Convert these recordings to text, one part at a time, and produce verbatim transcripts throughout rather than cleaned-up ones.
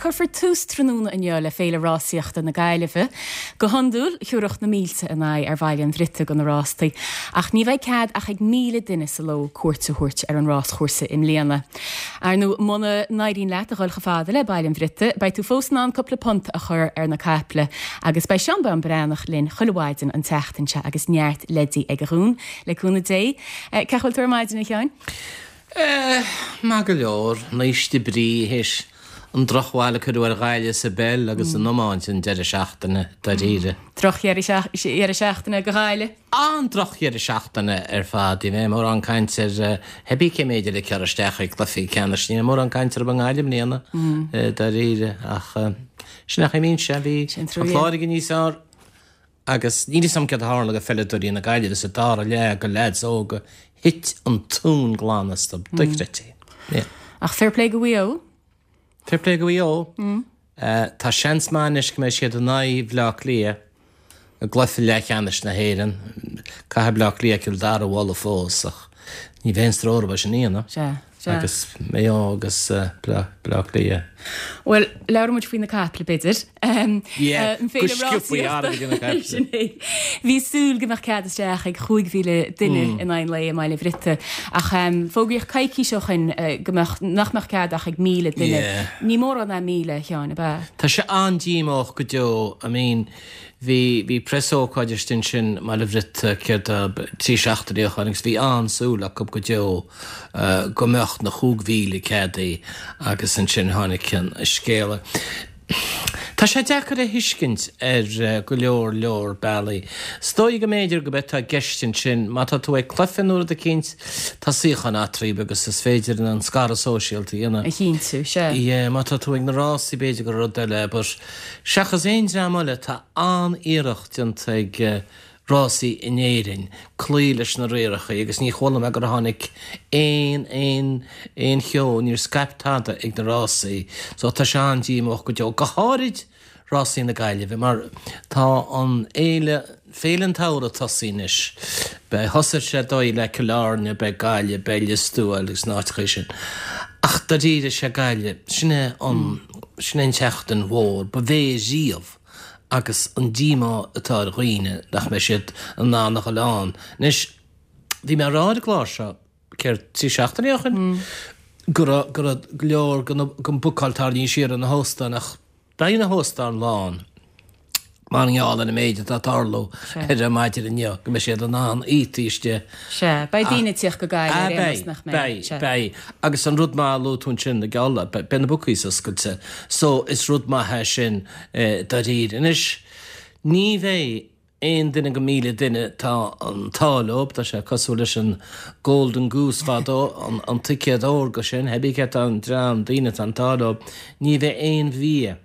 Cuirfear tús tráthnóna inniu le Féile Rásaíochta na Gaillimhe. Go hiondúil thiúrfadh na mílte a n-aghaidh ar Bhaile an Bhriotaigh do na rástaí, ach ní bheidh cead ach ag míle duine sa ló cuairt a thabhairt ar an ráschúrsa i mbliana. Ar ndóigh muna n-éiríonn leat a dhul chomh fada le Baile an Bhriotaigh, beidh tú fós in ann cúpla punt a chur ar na caiple, agus beidh Seán Bán Breathnach linn chuile mhaidin an tseachtain seo agus neart leidí aige dhúinn le cúnamh Dé. Cén chaoi a bhfuil tú ar maidin a Sheáin? Maith go leor, naoiste brí théis an drochbhail a cuireadh ar Ghaillimh sa bpeil agus san iomáint an deireadh seachtaine dáiríre. Drochdheireadh seachtaine do Ghaillimh? An-drochdheireadh seachtaine ar fad. Ní bheidh mórán caint ar thébí cé méid eile cur isteach ag cluichí ceannais. Ní bheidh mórán caint orthu i nGaillimh i mbliana dáiríre ach sin é a mbíonn sé. Bhí an Clár ag níos fearr agus níl a fhios agam céard a tharla do pheileadóirí na Gaillimhe sa dara leath go leaids óga thit an tóin glan astu. Dochreidte. Ach fair play go Mhaigh Eo? Fair play go Mhaigh Eo. Tá seans maith anois go mbeidh siad in aghaidh Bhaile Átha Cliath i gcluiche leathcheannais na hÉireann. Caithfidh Baile Átha Cliath Cill Dara a bhualadh fós ach ní bheidh aon stró orthu sin a dhéanamh. Sea, sea. Agus Maigh Eo agus Baile Átha Cliath. Bhuel, labhróidh muid faoi na caiple, b'fhéidir. Yeah, go sciobtha airgead na caiple. Sin é. Bhí súil go mbeadh cead isteach ag chúig mhíle duine in aghaidh an lae i mBaile Bhriotaigh, ach fógraíodh coicís ó shin go mbeadh, nach mbeadh cead ach ag míle duine. Yeah. Ní mórán é míle, a Sheáin, ab ea? Tá sé an-díomách go deo. I mean, bhí, bhí preasócáid istigh ansin i mBaile Bhriotaigh céard é, trí seachtaine ó shin agus bhí an-súil acu go deo go mbeadh na chúig mhíle ceadaithe agus ansin tháinig an scéala. Tá sé deacair a thuiscint ar go leor leor bealaí. Is dóigh go mb'fhéidir go mbeidh tá i gceist ansin má tá tú ag cluiche nó rud eicínt, tá suíocháin eatarthu agus is féidir an scaradh sóisialta a dhéanamh. A chinntiú, sea. Yeah, má tá tú ag na rásaí b'fhéidir gur rud eile, but seachas aon dream eile tá an-iarracht déanta ag rásaí in Éirinn cloí leis na rialacha agus ní chuala mé gur tháinig aon aon aon cheo, níor scaip tada ag na rásaí so tá sé an-díomách go deo, go háirid rásaí na Gaillimhe mar tá an fhéile, Féile an tSamhraidh tosaithe anois. Beidh, thosaigh sé dóigh le Cill Airne, beidh Gaillimh, beidh Lios Tuathail agus na háiteacha sin. Ach dáiríre sé Gaillimh, sin é an, sin é an tseachtain mhór ba mhé riamh. agus an díomá atá ar dhaoine nach mbeidh siad in ann a dhul ann. Anois, bhí mé ag rá ar an gclár seo, céard, trí seachtaine ó shin, go raibh, go raibh go leor den bhookáil tarraingthe siar ar na hóstáin ach beidh na hóstáin lán mar gheall ar an méid atá ag tarlú ar an maidin inniu, go mbeidh siad in ann iotaí istigh. Sea, beidh daoine ag tíocht go Gaillimh ar aon nós, nach mbeidh? Beidh, beidh, beidh. Agus an rud maith a luaigh tú ansin, ag gabháil, beidh na bookies oscailte. So, is rud maith é sin dáiríre. Anois, ní bheidh aon duine go míle duine, tá an t-ádh leo, tá sé cosúil leis an Golden Goose fadó, an, an ticéad órga sin, thébí cé tá an dream daoine atá an t-ádh leo, ní bheidh aon bhia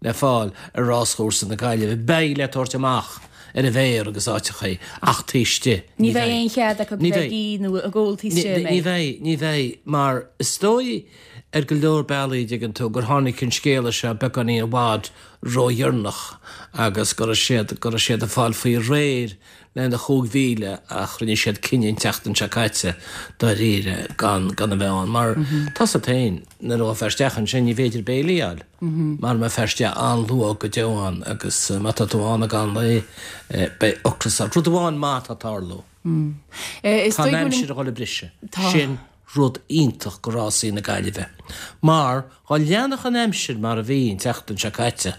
le fáil ar ráschúrsa na Gaillimhe. Beidh le tabhairt amach ar an bhféar agus áiteachaí ach taobh istigh ní bheidh. Ní bheidh aon chead acu bheith ag ithe nó ag ól taobh istigh, an mbeidh? Ní bheidh, ní bheidh, mar is dóigh ar go leor bealaí, an dtuigeann tú, gur tháinig an scéala seo beagáinín i bhfad ródheireanach agus go raibh siad, go raibh siad ag fáil faoi réir lena chúig mhíle ach rinne siad cinneadh an tseachtain seo caite dáiríre gan gan a bheith ann mar tá 's agat féin nuair a ghabhfá isteach ansin ní féidir béilí a fháil mar mbeifeá istigh an-luath go deo ann agus má tá tú ann ag am lae beidh ocras ort. Rud amháin maith atá ag tarlú. Tá an aimsir a dhul ag briseadh. Sin rud iontach go rásaí na Gaillimhe mar dhá leanfadh an aimsir mar a bhí an tseachtain seo caite,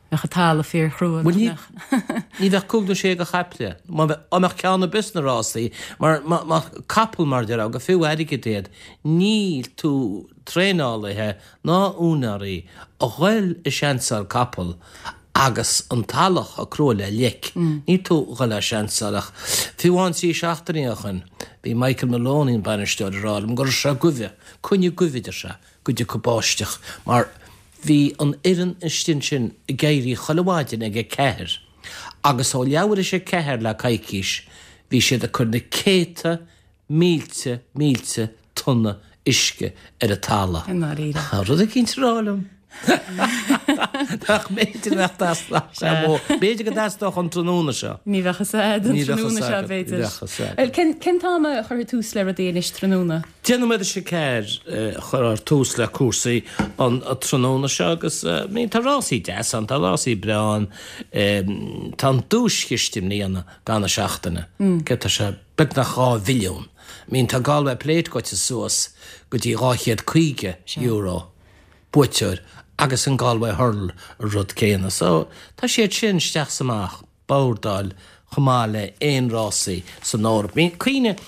Bheadh an talamh fíorchrua, nach Bhuel, ní, mbeadh? ní bheadh cúig nó sé de chaiple, má bheadh, á mbeadh ceann ar bith sna rásaí, mar má, má, capall mar a déarfá, gur fiú airgead iad, níl tú traenálaithe ná úinéirí a ghoil ag seansáil capall agus an talamh chomh crua le leic. Níl tú a ghoil á seansáil ach fiú amháin trí seachtainí ó shin, bhí Michael Maloney, an bainisteoir, ag rá liom go raibh sé goimhe, coinne goimhe, a deir sé, go dtiocfadh báisteach mar bhí an fhoireann istigh ansin ag éirí chuile mhaidin ag a ceathair agus ó leathuair théis a ceathair le coicís bhí siad ag cur na céadta mílte mílte tonna uisce ar an talamh. I ndáiríre. Tá rud eicínt a rá liom. Nach b'fhéidir nach B'fhéidir go dteastódh an tráthnóna seo. Ní bheadh a tráthnóna seo b'fhéidir. Cén cén t-am a chuirfidh tús le rudaí anois tráthnóna? Deich nóiméad théis a ceathair chuirfear tús le cúrsaí an tráthnóna seo agus tá rásaí deas ann, tá rásaí breá ann, tá an duaischiste i mbliana gan na seachtaine, céard tá sé beagnach dhá mhilliún. I mean tá Galway Plate goite suas go dtí dhá chéad caoga euro buaiteoir agus an Galway Hurdle an rud céanna. So tá siad sin isteach 's amach, bordáil chomh maith le aon rásaí san Eoraip. I mean cuimhnigh,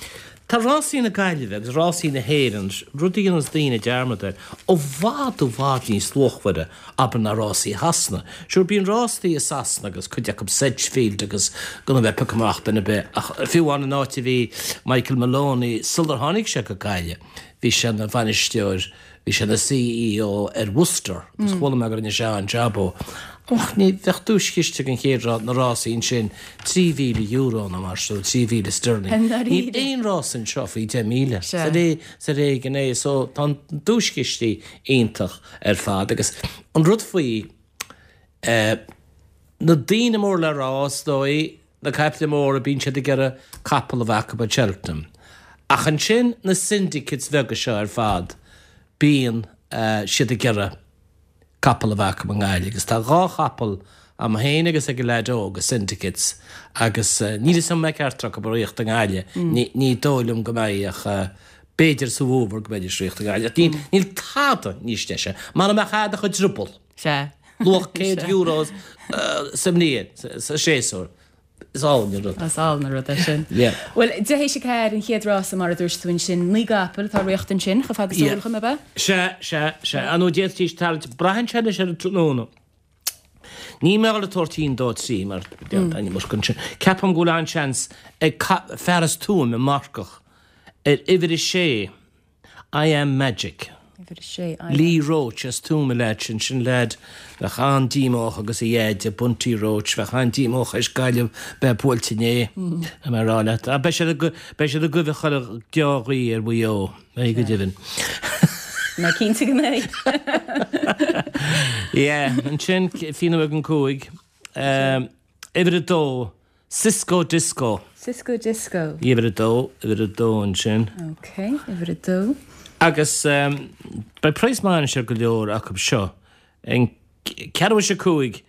tá rásaí na Gaillimhe agus rásaí na hÉireann, rud a dhéananns daoine dearmad air, i bhfad i bhfad níos luachmhaire abair ná rásaí Shasana. Sure bíonn rásaí i Sasana agus cuid acu Sedgefield agus gan a bheith ag piocadh amach duine ar bith ach fiú amháin an áit a bhí Michael Maloney sular tháinig sé go Gaillimh bhí sé ina bhainisteoir Bhí sé ina CEO ar Worcester agus chuala mé go rinne sé an-jab ó. Ach ní bheadh duaischiste ag an chéad rá na rásaí ansin trí mhíle euro nó mar sin, trí mhíle sterling. Níl aon rás anseo faoi deich míle. Is ar éigean é. So tá an duaischistí iontach ar fad agus an rud faoi eh, na daoine mór le rá is dóigh, na caiple móra bíonn siad ag iarraidh capall a bheith acu ag Cheltenham. Ach ansin na syndicates bheaga seo ar fad, bíonn siad ag iarraidh capall a bheith acu i nGaillimh agus tá dhá chapall a'm féin agus ag an leaid óg i syndicates agus níl 'fhios a'm an mbeidh ceachtar acu ag ritheacht i nGaillimh, ní dóigh liom go mbeidh ach b'fhéidir sa bhfómhar go mbeidís ag ritheacht i nGaillimh ach níl, níl tada níos deise, mara mbeadh a'd ach an drioball, luach céad euro sa mbliain, sa séasúr. Is álainn an rud. Is álainn an rud é sin. Yeah. Bhuel, deich théis a ceathair an chéad rása mar a dúirt tú ansin, naoi gcapall atá ag ritheacht ansin, chomh fada is eol dhom, ab ea? Sea, sea, sea. Ar ndóigh d'fhéadfaidís tarraingt, braitheann sé anois ar an tráthnóna. Níl mé ag dul ag tabhairt aon dó trí mar tá an iomarca ansin. Ceapaim go bhfuil an-seans ag fear as Tuaim, an marcach, ar uimhir a sé. I am Magic. Uimhir a sé, I am. Lee Roche as Tuaim an leaid sin, sin leaid bheadh an-díomách agus a dheaide, Bunty Roche, bheadh an-díomách théis Gaillimh bheith buailte inné, tá mé a rá leat. Ach beidh siad ag, beidh siad ag goimh chuile dea-ghuí ar Mhaigh Eo, beidh go deimhin. Mé cinnte go mbeidh. Yeah, ansin, fiche nóiméad don cúig, uimhir a dó, Cisco Disco. Cisco Disco. Uimhir a dó, uimhir a dó ansin. Ok, uimhir a dó. Agus beidh praghas maith anois ar go leor acu seo. An ceathrú théis a cúig,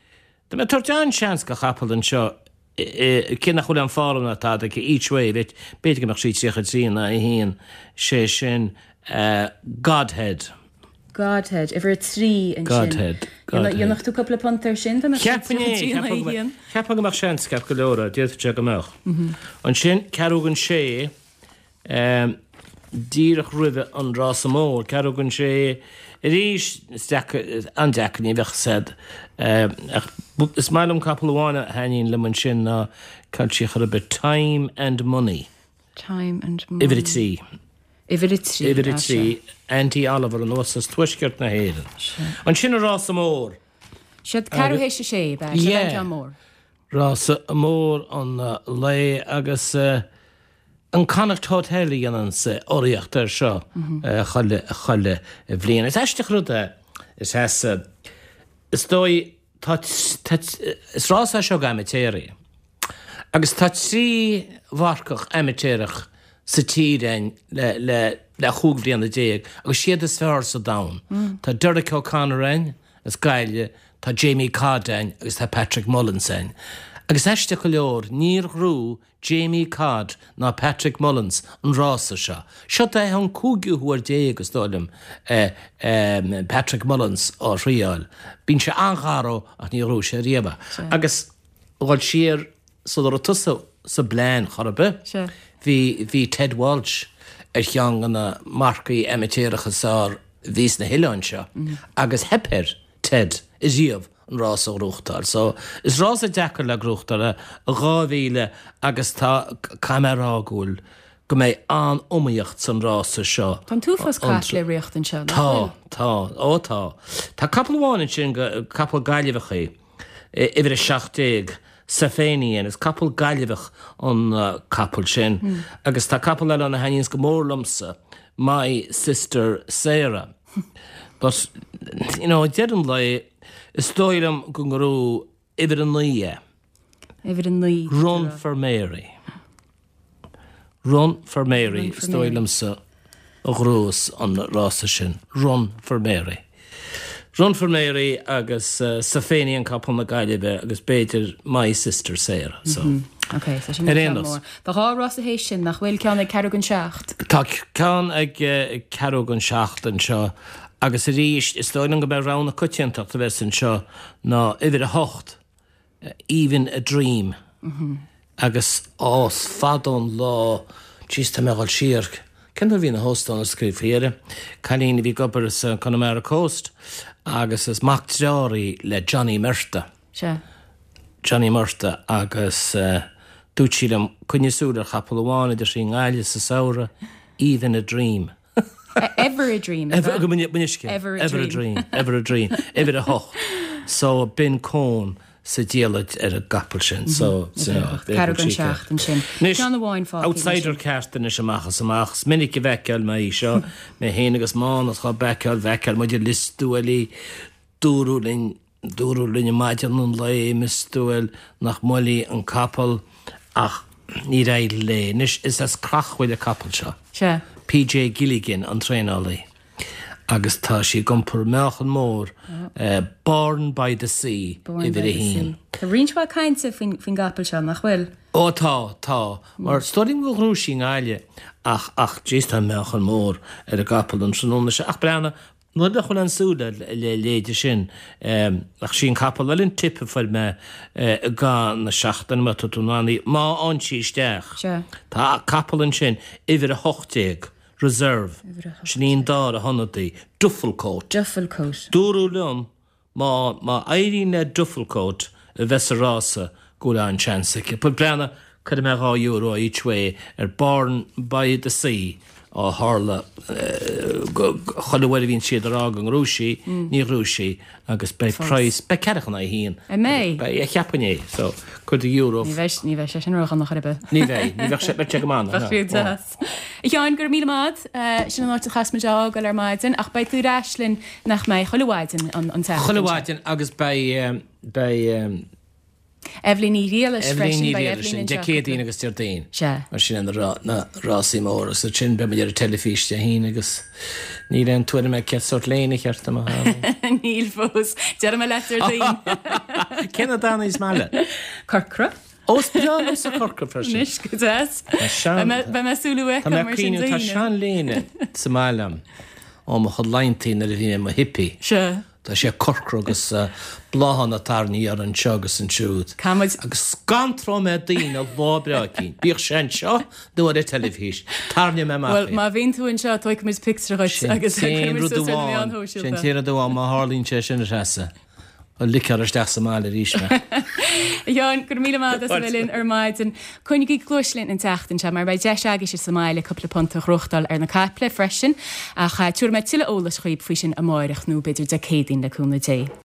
tá mé ag tabhairt an-seans do chapall anseo, cé nach bhfuil aon form ná tada aici, Each Way, b'fhéidir go mbeadh sí tríocha trí in aghaidh a haon, sé sin Godhead. Godhead, uimhir a trí ansin. Godhead, Godhead. Dhéanfadh tú cúpla punt air sin dá mbeadh sé Cheapfainn é, tríocha trí in aghaidh a haon? Cheapfainn go mbeadh seans ceart go leor air, d'fhéadfadh sé go mbeadh. Ansin, ceathrú don sé, díreach roimhe an rása mór, ceathrú don sé arís, is deacair, an-deacair, ní bheadh a fhios a'd, ach is maith liom capall amháin a thaitníonn liom ansin ná cá bhfuil sí chor ar bith, Time and Money. Time and Money. Uimhir a trí. Uimhir a trí, Uimhir a trí, Andy Oliver anuas as tuaisceart na hÉireann. Ansin an rása mór. Siad ceathrú théis a sé, ab ea? Siad an ceann mór. Rása mór an lae agus an Connacht Hotel a dhéananns urraíocht air seo chuile, chuile bhliain. Is aisteach rud é, is ea, is dóigh, tá, tá, is rása é seo d'amaitéaraí. Agus tá trí mharcach amaitéarach sa tír againn le le le chúig bhliana déag agus siad is fearr sa domhan. Tá Derek O'Connor againn as Gaillimh, tá Jamie Codd againn agus tá Patrick Mullins againn. Agus aisteach go leor, níor ghnóthaigh Jamie Codd ná Patrick Mullins an rása seo. Seo é an cúigiú huair déag, is dóigh liom, Patrick Mullins á thriáil. Bíonn sé an-gharbh ach ní ghnóthaigh sé riamh é. Agus dhul siar sula raibh tusa sa bplean chor ar bith, bhí, bhí Ted Walsh ar cheann de na marcaigh amaitéaracha is fearr a bhí sna hoileáin seo agus theip ar Ted ariamh an rás a ghnóthachtáil. So, is rása deacair le gnóthachtáil é, dhá mhíle agus tá, caithfidh mé a rá go bhfuil, go mbeidh an-iomaíocht san rása seo. Tá an t-uafás caiple ag ritheacht anseo, nach bhfuil? Tá, tá, ó tá. Tá capall amháin ansin, capall Gaillimheach é. Uimhir a seacht déag, Safanian, is capall Gaillimheach an capall sin. Agus tá capall eile ann a thaitníonns go mór liomsa, My Sister Sarah. But, you know, deireadh an lae, is dóigh liom go ngnóthóidh uimhir a naoi é. Uimhir a naoi. Run for Mary. Run for Mary, is dóigh liomsa a ghnóthós an rása sin. Run for Mary. Run for Mary agus uh, Safeni an capall na Gaillimhe agus b'fhéidir My Sister Sarah. So. Mm -hmm. Okay, so sin ar mór. Tá dhá rás théis sin nach bhfuil ceann ag ceathrú don seacht. Tá ceann ag ceathrú don seacht anseo agus arís is dóigh liom go mbeidh rogha na coitiantachta a bheas anseo ná uimhir a hocht Even a Dream. Mm -hmm. Agus is fada an lá jeez tá mé ag dul siar. Cén uair a bhí na hóstáin oscailte faoi dheireadh? Cailín a bhí ag obair sa Connemara Coast agus is mac dearthár í le Johnny Murtagh. Sea. Johnny Murtagh agus uh, dúirt sí liom coinnigh súil ar chapall amháin a deir sí i nGaillimh sa samhradh Even a Dream. Ever a dream. Ever, ever, a, ever a dream. Ever a dream. Uimhir a hocht. So b'in Con sa diallait ar an gcapall sin. So Ceathrú don seacht ansin. Ceann amháin fágtha. Outsider ceart anois amach is amach. Is minic a bhfeiceáil mé í seo, mé féin agus Mánas dhá bhfeiceáil, bhfeiceáil muid i Lios Tuathail í, dúradh linn, dúradh linn i maidin an lae i Lios Tuathail nach mbuailfí an capall ach níor éirigh léi. Anois is as Creachmhaoil an capall seo. Sea. PJ Gilligan an traenálaí. Agus tá sí ag iompar meáchan mór, Born by the Sea, uimhir a haon. Tá roinnt mhaith cainte faoin gcapall seo, nach bhfuil? Ó tá, tá. Mar is dóigh liom gur ghnóthaigh sí i nGaillimh ach, ach jeez tá meáchan mór ar an gcapall an tráthnóna seo. Ach breathnaigh, nuair nach bhfuil aon súil le leithéide sin, ach sí an capall eile an tip a fuair mé i gcaitheamh na seachtaine, má tá tú in ann í, má fhaigheann sí isteach. Sea. Tá capall ansin, uimhir a hocht déag. Reserve. Sin í an dara hionadaí. Dufflecoat. Dufflecoat. Dúradh liom má má éiríonn le Dufflecoat a bheith sa rása go bhfuil an-seans aici. But breathnaigh, cuirfidh mé dhá euro each way ar Born by the Sea ó tharla go chuile uair a bhíonn siad ag rá go ngnóthóidh sí, ní ghnóthóidh sí agus beidh praghas, beidh ceathracha in aghaidh a haon. An mbeidh? Beidh, cheapfainn é. So, cuir do euro. Ní bheidh, ní bheidh sé sin ródhona chor ar bith. Ní bheidh, ní bheadh sé, beidh sé go maith. Bheadh sé deas. A Sheáin, go raibh míle maith agat. Sin an áit a chaithfeas muid a fhágáil ar maidin, ach beidh tú ar ais linn nach mbeidh, chuile mhaidin an tseachtain seo. Chuile mhaidin agus beidh, beidh. Eibhlín Ní Ghriallais freisin, beidh Eibhlín anseo. Dé Céadaoin agus Déardaoin. Sea. Mar sin na, na rásaí móra. So sin beidh muid ar an teilifís Dé hAoine agus níl aon tuairim ag cén sórt léine cheart dom a tharla. Níl fós. Déarfaidh mé leat Déardaoin. Cén dath is maith leat? Corcra. Ó, is breá liomsa corcra freisin. Anois go deas. Beidh mé súil uaidh mar sin Tá seanléine sa mbaile agam ó mo chuid laethanta nuair a bhí mé i mo hippie. Sea. Tá sé corcra agus bláthanna tarraingthe air anseo agus ansiúd. Caithfimid. Agus scanróidh mé daoine lá breá eicínt, bíodh sé anseo nó ar an teilifís, tarraingeoidh mé amach Bhuel, má bhíonn tú anseo, tógfaidh muid pictiúr dhuit agus cuirfidh muid suas ar na meáin shóisialta. Sin an t-aon rud amháin, má tharlaíonn sé sin, a Threasa. Bhuel, ligfear isteach sa mbaile arís mé. A Sheáin, go raibh míle maith agat as a bheith linn ar maidin. Coinnigí cluais linn an tseachtain seo mar beidh deis agaibhse sa mbaile cúpla punt a ghnóthachtáil ar na caiple freisin. Ach tabharfaidh mé tuilleadh eolais dhaoibh faoi sin amáireach nó b'fhéidir Dé Céadaoin le cúnamh Dé.